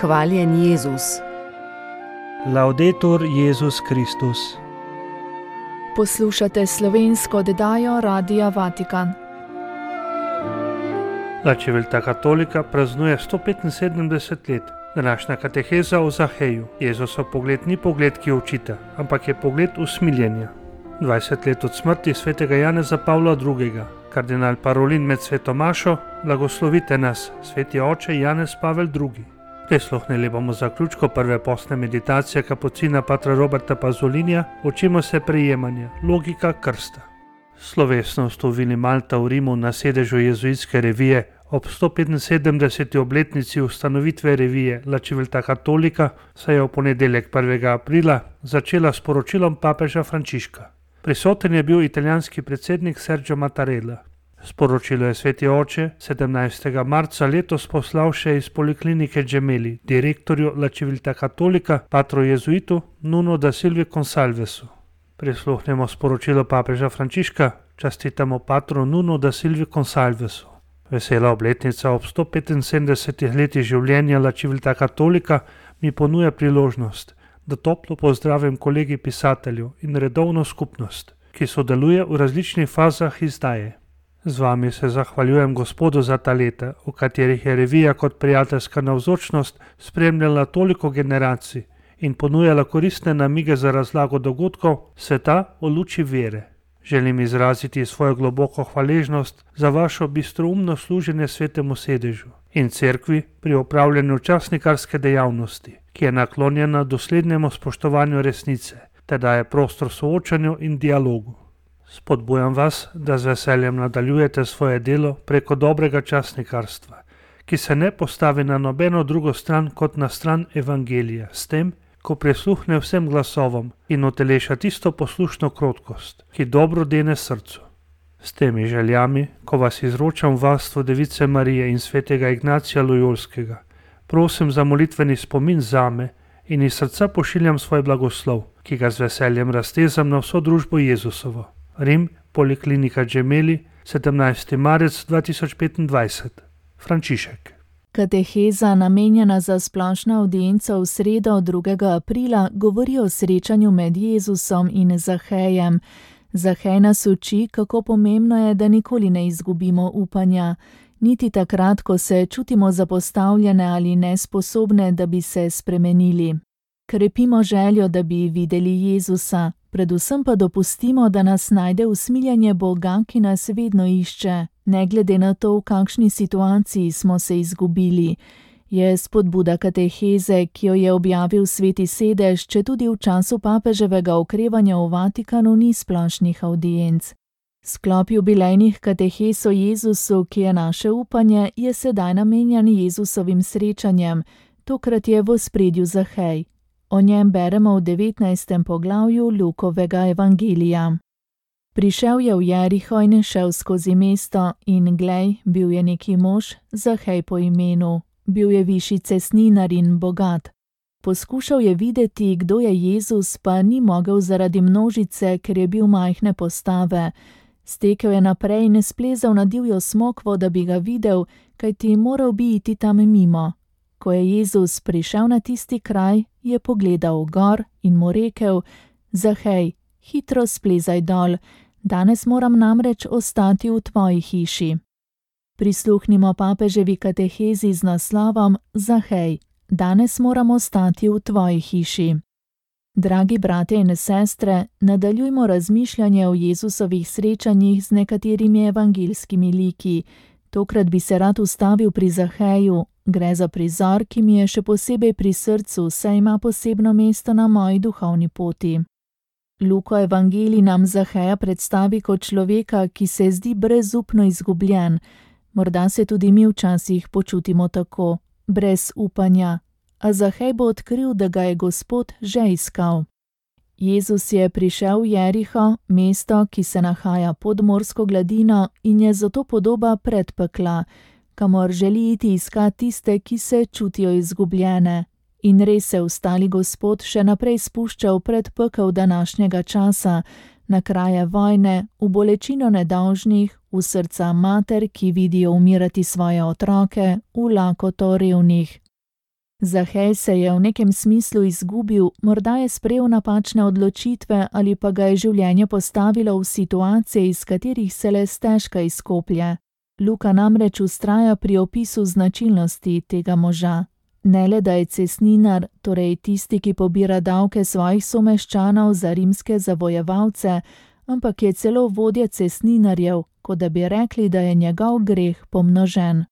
Hvaljen Jezus. Laudetur Jezus Kristus. Poslušate slovensko oddajo Radia Vatikan. La Civiltà Cattolica praznuje 175 let. Današnja kateheza o Zaheju. Jezusov pogled ni pogled, ki učita, ampak je pogled usmiljenja. 20 let od smrti svetega Janeza Pavla II. Kardinal Parolin med sveto mašo, blagoslovite nas, sveti oče Janez Pavel II. Prisluhnili bomo zaključku prve postne meditacije kapucina patra Roberta Pazolinija, učimo se prejemanja, logika krsta. Slovesnost v Vili Malta v Rimu na sedežu jezuitske revije ob 175. obletnici ustanovitve revije La Civiltà Cattolica se je v ponedeljek 1. aprila začela s poročilom papeža Frančiška. Prisoten je bil italijanski predsednik Sergio Mattarella. Sporočilo je sveti oče 17. marca letos poslal še iz poliklinike Gemelli, direktorju La Civiltà Cattolica, patru jezuitu Nuno da Silvi Consalvesu. Prisluhnemo sporočilo papeža Frančiška, častitamo patru Nuno da Silvi Consalvesu. Vesela obletnica ob 175 letih življenja La Civiltà Cattolica mi ponuja priložnost, da toplo pozdravim kolegi pisateljev in redovno skupnost, ki sodeluje v različnih fazah izdaje. Z vami se zahvaljujem Gospodu za ta leta, v katerih je revija kot prijateljska navzočnost spremljala toliko generacij in ponujala koristne namige za razlago dogodkov sveta v luči vere. Želim izraziti svojo globoko hvaležnost za vašo bistroumno služenje svetemu sedežu in cerkvi pri opravljanju časnikarske dejavnosti, ki je naklonjena doslednemu spoštovanju resnice, te daje prostor soočanju in dialogu. Spodbujam vas, da z veseljem nadaljujete svoje delo preko dobrega časnikarstva, ki se ne postavi na nobeno drugo stran kot na stran evangelija, s tem, ko prisluhne vsem glasovom in uteleša tisto poslušno krotkost, ki dobro dene srcu. S temi željami, ko vas izročam v varstvo Device Marije in svetega Ignacija Lojolskega, prosim za molitveni spomin zame in iz srca pošiljam svoj blagoslov, ki ga z veseljem raztezam na vso družbo Jezusovo. Rim, poliklinika Gemelli, 17. marec 2025. Frančišek. Kateheza, namenjena za splošno avdienco v sredo 2. aprila, govori o srečanju med Jezusom in Zahejem. Zahej nas uči, kako pomembno je, da nikoli ne izgubimo upanja, niti takrat, ko se čutimo zapostavljene ali nesposobne, da bi se spremenili. Krepimo željo, da bi videli Jezusa, predvsem pa dopustimo, da nas najde usmiljanje Boga, ki nas vedno išče, ne glede na to, v kakšni situaciji smo se izgubili. Je spodbuda kateheze, ki jo je objavil sveti sedež, če tudi v času papeževega okrevanja v Vatikanu ni splošnih avdienc. Sklop jubilejnih katehez o Jezusu, ki je naše upanje, je sedaj namenjen Jezusovim srečanjem, tokrat je v ospredju Zahej. O njem beremo v 19. poglavju Lukovega evangelija. Prišel je v Jeriho in šel skozi mesto in glej, bil je neki mož, Zahej po imenu. Bil je višji cestninar in bogat. Poskušal je videti, kdo je Jezus, pa ni mogel zaradi množice, ker je bil majhne postave. Stekel je naprej in splezal na divjo smokvo, da bi ga videl, kajti moral bi iti tam mimo. Ko je Jezus prišel na tisti kraj, je pogledal gor in mu rekel: Zahej, hitro splezaj dol, danes moram namreč ostati v tvoji hiši. Prisluhnimo papeževi katehezi z naslovom Zahej, danes moram ostati v tvoji hiši. Dragi bratje in sestre, nadaljujmo razmišljanje o Jezusovih srečanjih z nekaterimi evangeljskimi liki. Tokrat bi se rad ustavil pri Zaheju. Gre za prizor, ki mi je še posebej pri srcu, saj ima posebno mesto na moji duhovni poti. Luko evangelij nam Zaheja predstavi kot človeka, ki se zdi brezupno izgubljen. Morda se tudi mi včasih počutimo tako, brez upanja, a Zahej bo odkril, da ga je Gospod že iskal. Jezus je prišel v Jeriho, mesto, ki se nahaja pod morsko gladino in je zato podoba predpekla, kamor želi iti iskat tiste, ki se čutijo izgubljene. In res se ostali Gospod še naprej spušča v predpekel današnjega časa, na kraje vojne, v bolečino nedolžnih, v srca mater, ki vidijo umirati svoje otroke, v lakoto revnih. Zahej se je v nekem smislu izgubil, morda je sprejel napačne odločitve ali pa ga je življenje postavilo v situacije, iz katerih se le stežka izkoplje. Luka namreč vztraja pri opisu značilnosti tega moža. Ne le, da je cestninar, torej tisti, ki pobira davke svojih someščanov za rimske zavojevalce, ampak je celo vodja cestninarjev, kot da bi rekli, da je njegov greh pomnožen.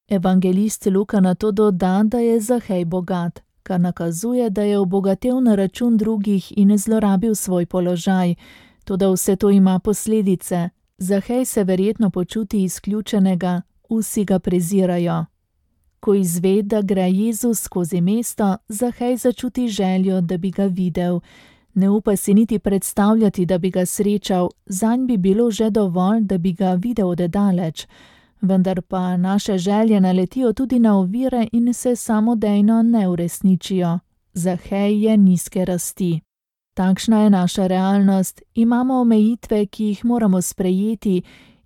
Evangelist Luka nato doda, da je Zahej bogat, kar nakazuje, da je obogatel na račun drugih in zlorabil svoj položaj. Toda vse to ima posledice. Zahej se verjetno počuti izključenega, vsi ga prezirajo. Ko izve, da gre Jezus skozi mesto, Zahej začuti željo, da bi ga videl. Ne upa si niti predstavljati, da bi ga srečal, zanj bi bilo že dovolj, da bi ga videl od daleč. Vendar pa naše želje naletijo tudi na ovire in se samodejno ne uresničijo. Zahej je nizke rasti. Takšna je naša realnost, imamo omejitve, ki jih moramo sprejeti,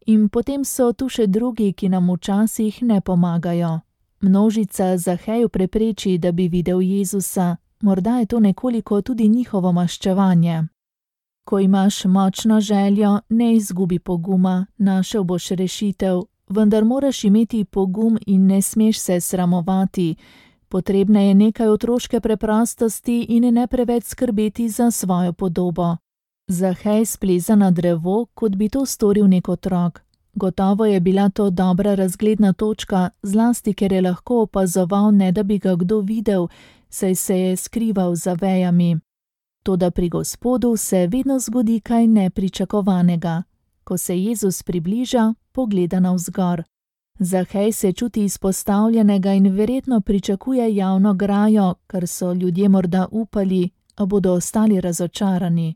in potem so tu še drugi, ki nam včasih ne pomagajo. Množica Zaheju prepreči, da bi videl Jezusa, morda je to nekoliko tudi njihovo maščevanje. Ko imaš močno željo, ne izgubi poguma, našel boš rešitev, vendar moraš imeti pogum in ne smeš se sramovati. Potrebna je nekaj otroške preprostosti in ne preveč skrbeti za svojo podobo. Zahej spleza na drevo, kot bi to storil nek otrok. Gotovo je bila to dobra razgledna točka, zlasti ker je lahko opazoval, ne da bi ga kdo videl, saj se je skrival za vejami. Toda pri Gospodu se vedno zgodi kaj nepričakovanega. Ko se Jezus približa, pogleda navzgor. Zahej se čuti izpostavljenega in verjetno pričakuje javno grajo, kar so ljudje morda upali, a bodo ostali razočarani.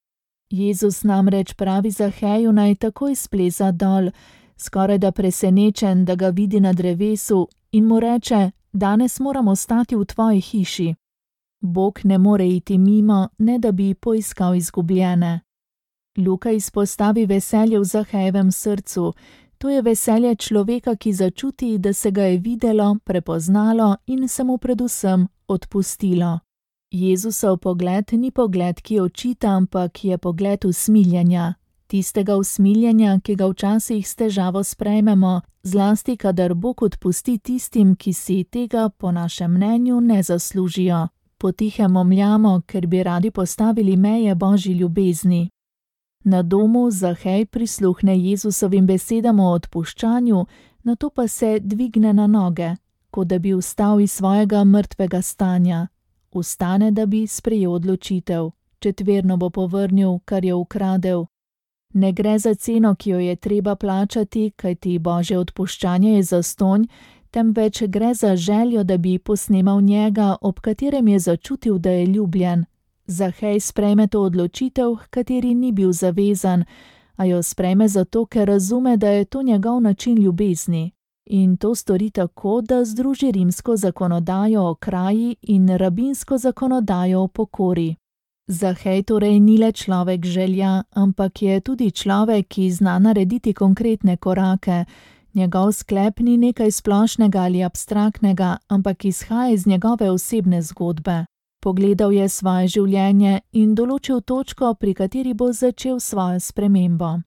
Jezus namreč pravi Zaheju, naj takoj spleza dol, skorajda presenečen, da ga vidi na drevesu, in mu reče: danes moram ostati v tvoji hiši. Bog ne more iti mimo, ne da bi poiskal izgubljene. Luka izpostavi veselje v Zahejevem srcu. To je veselje človeka, ki začuti, da se ga je videlo, prepoznalo in se mu predvsem odpustilo. Jezusov pogled ni pogled, ki očita, ampak je pogled usmiljenja. Tistega usmiljenja, ki ga včasih s težavo sprejmemo, zlasti kadar Bog odpusti tistim, ki si tega po našem mnenju ne zaslužijo. Potihem momljamo, ker bi radi postavili meje Božji ljubezni. Na domu Zahej prisluhne Jezusovim besedam o odpuščanju, nato pa se dvigne na noge, kot da bi vstal iz svojega mrtvega stanja. Vstane, da bi sprejel odločitev. Četverno bo povrnil, kar je ukradel. Ne gre za ceno, ki jo je treba plačati, kajti Božje odpuščanje je zastonj, temveč gre za željo, da bi posnemal njega, ob katerem je začutil, da je ljubljen. Zahej sprejme to odločitev, h kateri ni bil zavezan, a jo sprejme zato, ker razume, da je to njegov način ljubezni. In to stori tako, da združi rimsko zakonodajo o kraji in rabinsko zakonodajo o pokori. Zahej torej ni le človek želja, ampak je tudi človek, ki zna narediti konkretne korake. Njegov sklep ni nekaj splošnega ali abstraktnega, ampak izhaja iz njegove osebne zgodbe. Pogledal je svoje življenje in določil točko, pri kateri bo začel svojo spremembo.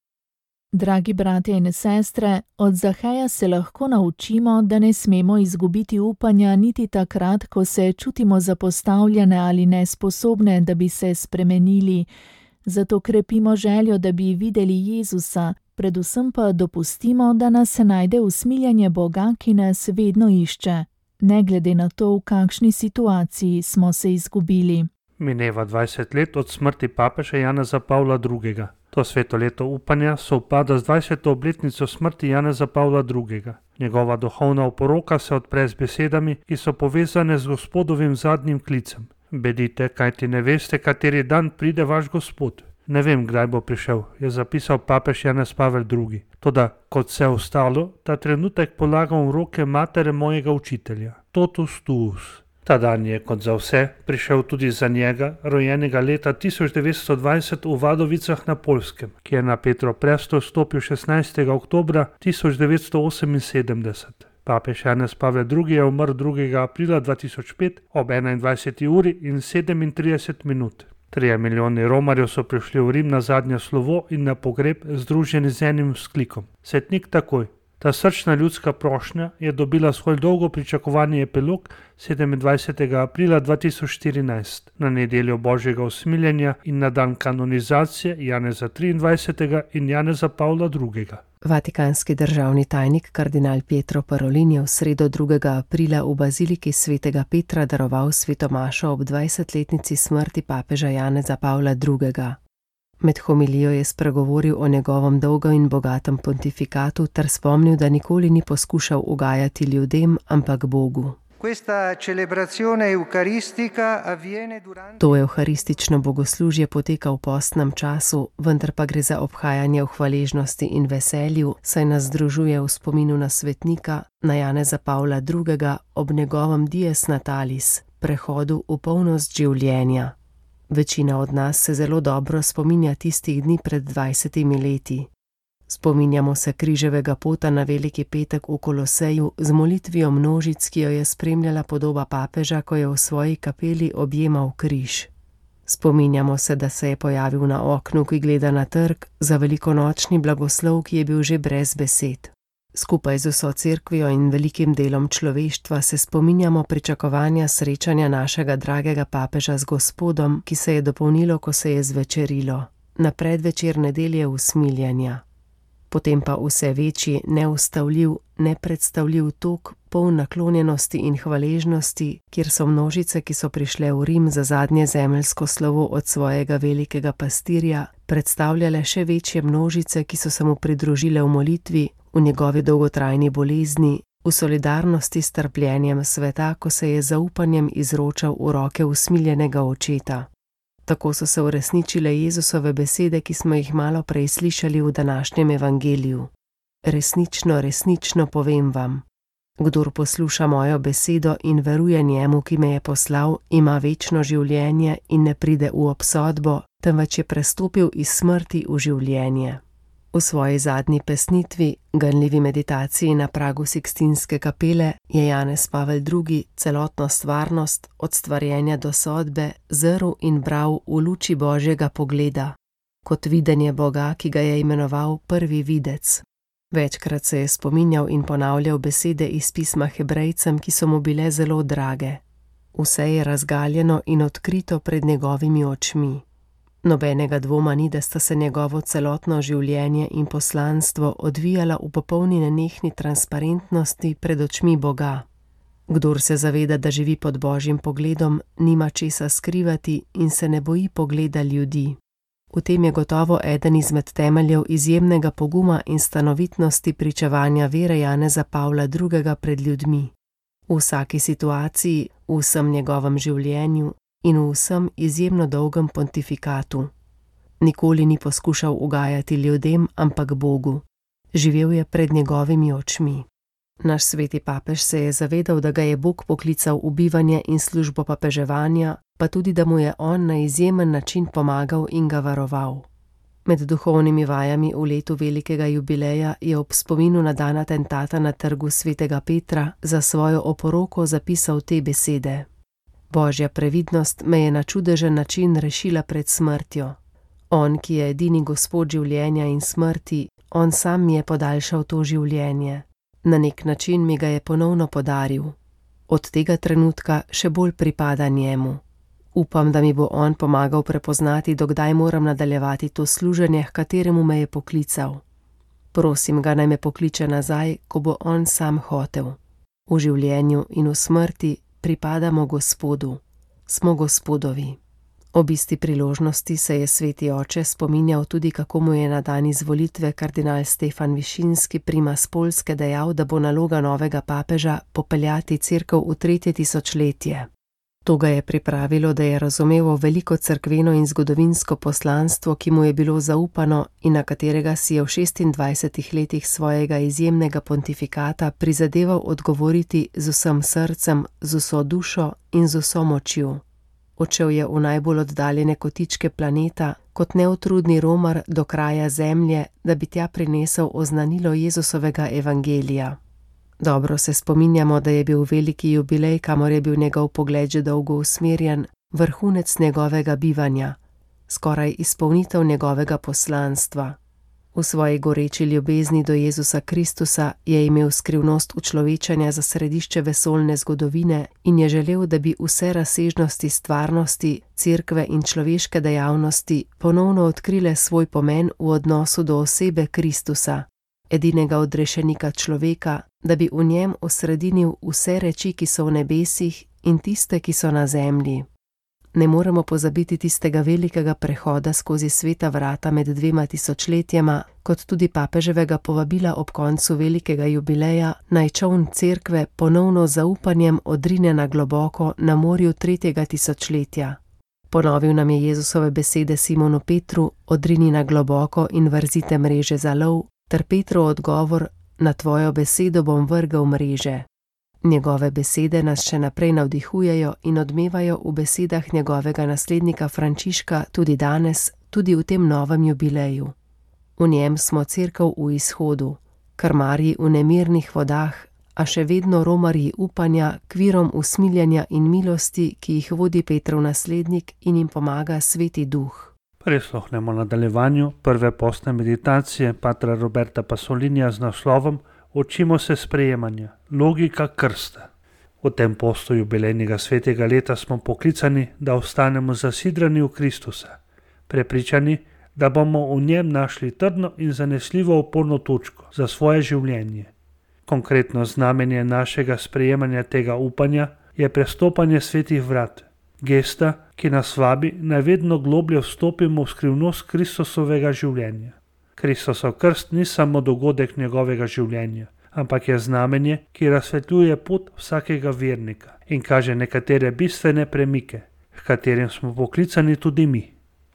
Dragi bratje in sestre, od Zaheja se lahko naučimo, da ne smemo izgubiti upanja niti takrat, ko se čutimo zapostavljene ali nesposobne, da bi se spremenili. Zato krepimo željo, da bi videli Jezusa, predvsem pa dopustimo, da nas najde usmiljenje Boga, ki nas vedno išče. Ne glede na to, v kakšni situaciji smo se izgubili. Mineva 20 let od smrti papeža Janeza Pavla II. To sveto leto upanja sovpada z 20. obletnico smrti Janeza Pavla II. Njegova duhovna oporoka se odpre z besedami, ki so povezane z Gospodovim zadnjim klicem. Bedite, kajti ne veste, kateri dan pride vaš Gospod. Ne vem, kdaj bo prišel, je zapisal papež Janez Pavel II. Toda, kot vse ostalo, ta trenutek polagam v roke matere mojega učitelja, totus tuus. Ta dan je, kot za vse, prišel tudi za njega, rojenega leta 1920 v Vadovicah na Poljskem, ki je na Petrov prestol stopil 16. oktobra 1978. Papež Janez Pavel II. Je umrl 2. aprila 2005 ob 21. uri in 37 minut. 3 milijoni romarjev so prišli v Rim na zadnje slovo in na pogreb združeni z enim vzklikom: Svetnik takoj. Ta srčna ljudska prošnja je dobila svoj dolgo pričakovani epilog 27. aprila 2014 na nedeljo Božjega usmiljenja in na dan kanonizacije Janeza XXIII. In Janeza Pavla II. Vatikanski državni tajnik kardinal Pietro Parolin je v sredo 2. aprila v baziliki svetega Petra daroval svetomašo ob 20-letnici smrti papeža Janeza Pavla II. Med homilijo je spregovoril o njegovem dolgem in bogatem pontifikatu ter spomnil, da nikoli ni poskušal ugajati ljudem, ampak Bogu. To evharistično bogoslužje poteka v postnem času, vendar pa gre za obhajanje v hvaležnosti in veselju, saj nas združuje v spominu na svetnika, na Janeza Pavla II. Ob njegovem dies natalis, prehodu v polnost življenja. Večina od nas se zelo dobro spominja tistih dni pred 20 leti. Spominjamo se križevega pota na Veliki petek v Koloseju z molitvijo množic, ki jo je spremljala podoba papeža, ko je v svoji kapeli objemal križ. Spominjamo se, da se je pojavil na oknu, ki gleda na trg, za velikonočni blagoslov, ki je bil že brez besed. Skupaj z vso cerkvijo in velikim delom človeštva se spominjamo pričakovanja srečanja našega dragega papeža z Gospodom, ki se je dopolnilo, ko se je zvečerilo, na predvečer nedelje usmiljenja. Potem pa vse večji, neustavljiv, nepredstavljiv tok, poln naklonjenosti in hvaležnosti, kjer so množice, ki so prišle v Rim za zadnje zemeljsko slovo od svojega velikega pastirja, predstavljale še večje množice, ki so se mu pridružile v molitvi, v njegovi dolgotrajni bolezni, v solidarnosti s trpljenjem sveta, ko se je zaupanjem izročal v roke usmiljenega očeta. Tako so se uresničile Jezusove besede, ki smo jih malo prej slišali v današnjem evangeliju. Resnično, resnično povem vam, kdor posluša mojo besedo in veruje njemu, ki me je poslal, ima večno življenje in ne pride v obsodbo, temveč je prestopil iz smrti v življenje. V svoji zadnji pesnitvi, ganljivi meditaciji na pragu Sikstinske kapele, je Janez Pavel II. Celotno stvarnost, od stvarjenja do sodbe, zrl in bral v luči Božjega pogleda, kot videnje Boga, ki ga je imenoval prvi videc. Večkrat se je spominjal in ponavljal besede iz pisma Hebrejcem, ki so mu bile zelo drage. Vse je razgaljeno in odkrito pred njegovimi očmi. Nobenega dvoma ni, da sta se njegovo celotno življenje in poslanstvo odvijala v popolni nenehni transparentnosti pred očmi Boga. Kdor se zaveda, da živi pod Božjim pogledom, nima česa skrivati in se ne boji pogleda ljudi. V tem je gotovo eden izmed temeljev izjemnega poguma in stanovitnosti pričevanja vere Janeza Pavla II. Pred ljudmi. V vsaki situaciji, v vsem njegovem življenju in v vsem izjemno dolgem pontifikatu. Nikoli ni poskušal ugajati ljudem, ampak Bogu. Živel je pred njegovimi očmi. Naš sveti papež se je zavedal, da ga je Bog poklical v bivanje in službo papeževanja, pa tudi, da mu je on na izjemen način pomagal in ga varoval. Med duhovnimi vajami v letu velikega jubileja je ob spominu na dan atentata na trgu svetega Petra za svojo oporoko zapisal te besede: Božja previdnost me je na čudežen način rešila pred smrtjo. On, ki je edini Gospod življenja in smrti, on sam mi je podaljšal to življenje. Na nek način mi ga je ponovno podaril. Od tega trenutka še bolj pripada njemu. Upam, da mi bo on pomagal prepoznati, dokdaj moram nadaljevati to služenje, h kateremu me je poklical. Prosim ga, naj me pokliče nazaj, ko bo on sam hotel. V življenju in v smrti pripadamo Gospodu. Smo Gospodovi. Ob isti priložnosti se je sveti oče spominjal tudi, kako mu je na dan izvolitve kardinal Stefan Višinski, primas Poljske, dejal, da bo naloga novega papeža popeljati cerkev v 3. tisočletje. To ga je pripravilo, da je razumel veliko cerkveno in zgodovinsko poslanstvo, ki mu je bilo zaupano in na katerega si je v 26 letih svojega izjemnega pontifikata prizadeval odgovoriti z vsem srcem, z vso dušo in z vso močjo. Odšel je v najbolj oddaljene kotičke planeta, kot neutrudni romar do kraja zemlje, da bi tja prinesel oznanilo Jezusovega evangelija. Dobro se spominjamo, da je bil veliki jubilej, kamor je bil njegov pogled že dolgo usmerjen, vrhunec njegovega bivanja, skoraj izpolnitev njegovega poslanstva. V svoji goreči ljubezni do Jezusa Kristusa je imel skrivnost učlovečanja za središče vesoljne zgodovine in je želel, da bi vse razsežnosti stvarnosti, cerkve in človeške dejavnosti ponovno odkrile svoj pomen v odnosu do osebe Kristusa, edinega odrešenika človeka, da bi v njem osredinil vse reči, ki so v nebesih, in tiste, ki so na zemlji. Ne moremo pozabiti tistega velikega prehoda skozi sveta vrata med 2 tisočletjema, kot tudi papeževega povabila ob koncu velikega jubileja, naj čoln cerkve ponovno z zaupanjem odrine na globoko na morju 3. tisočletja. Ponovil nam je Jezusove besede Simonu Petru: odrini na globoko in vrzite mreže za lov, ter Petrov odgovor: na tvojo besedo bom vrgel mreže. Njegove besede nas še naprej navdihujejo in odmevajo v besedah njegovega naslednika Frančiška tudi danes, tudi v tem novem jubileju. V njem smo cerkev v izhodu, krmarji v nemirnih vodah, a še vedno romarji upanja, k virom usmiljenja in milosti, ki jih vodi Petrov naslednik in jim pomaga Sveti Duh. Prisluhnemo nadaljevanju prve postne meditacije patra Roberta Pasolinija z naslovom Učimo se sprejemanja, logika krsta. V tem postu jubilejnega svetega leta smo poklicani, da ostanemo zasidrani v Kristusa, prepričani, da bomo v njem našli trdno in zanesljivo oporno točko za svoje življenje. Konkretno znamenje našega sprejemanja tega upanja je prestopanje svetih vrat, gesta, ki nas vabi, naj vedno globlje vstopimo v skrivnost Kristusovega življenja. Kristusov krst ni samo dogodek njegovega življenja, ampak je znamenje, ki razsvetljuje pot vsakega vernika in kaže nekatere bistvene premike, h katerim smo poklicani tudi mi.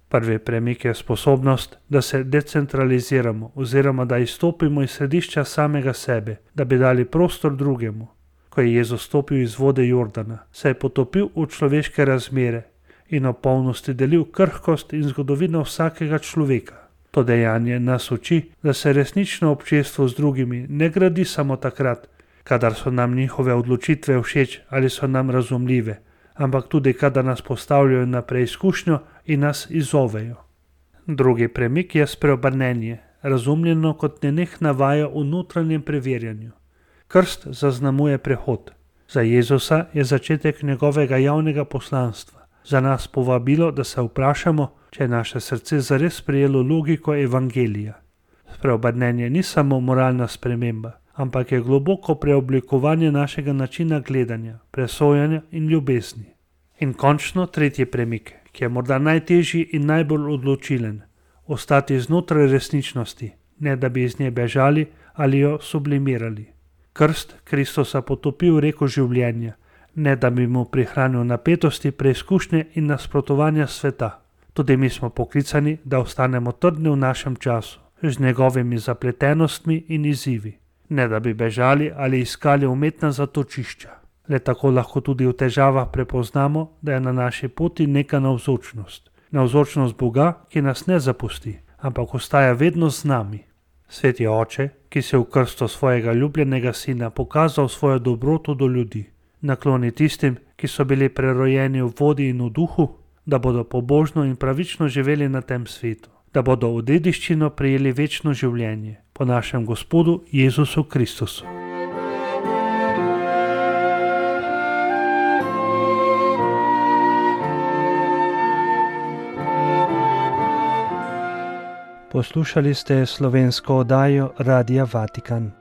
Prvi premik je sposobnost, da se decentraliziramo oziroma da izstopimo iz središča samega sebe, da bi dali prostor drugemu. Ko je Jezus stopil iz vode Jordana, se je potopil v človeške razmere in v polnosti delil krhkost in zgodovino vsakega človeka. To dejanje nas uči, da se resnično občestvo z drugimi ne gradi samo takrat, kadar so nam njihove odločitve všeč ali so nam razumljive, ampak tudi kadar nas postavljajo na preizkušnjo in nas izzovejo. Drugi premik je spreobrnenje, razumljeno kot nenehna vaja v notranjem preverjanju. Krst zaznamuje prehod. Za Jezusa je začetek njegovega javnega poslanstva. Za nas povabilo, da se vprašamo, če je naše srce zares sprejelo logiko evangelija. Spreobrnenje ni samo moralna sprememba, ampak je globoko preoblikovanje našega načina gledanja, presojanja in ljubezni. In končno tretji premik, ki je morda najtežji in najbolj odločilen, ostati znotraj resničnosti, ne da bi iz nje bežali ali jo sublimirali. Krst Kristusa potopi v reko življenja, ne da bi mu prihranil napetosti, preizkušnje in nasprotovanja sveta. Tudi mi smo poklicani, da ostanemo trdni v našem času, z njegovimi zapletenostmi in izzivi, ne da bi bežali ali iskali umetna zatočišča. Le tako lahko tudi v težavah prepoznamo, da je na naši poti neka navzočnost. Navzočnost Boga, ki nas ne zapusti, ampak ostaja vedno z nami. Sveti Oče, ki si v krstu svojega ljubljenega sina pokazal svojo dobroto do ljudi, nakloni tistim, ki so bili prerojeni v vodi in v duhu, da bodo pobožno in pravično živeli na tem svetu, da bodo v dediščino prejeli večno življenje po našem Gospodu Jezusu Kristusu. Poslušali ste slovensko oddajo Radia Vatikan.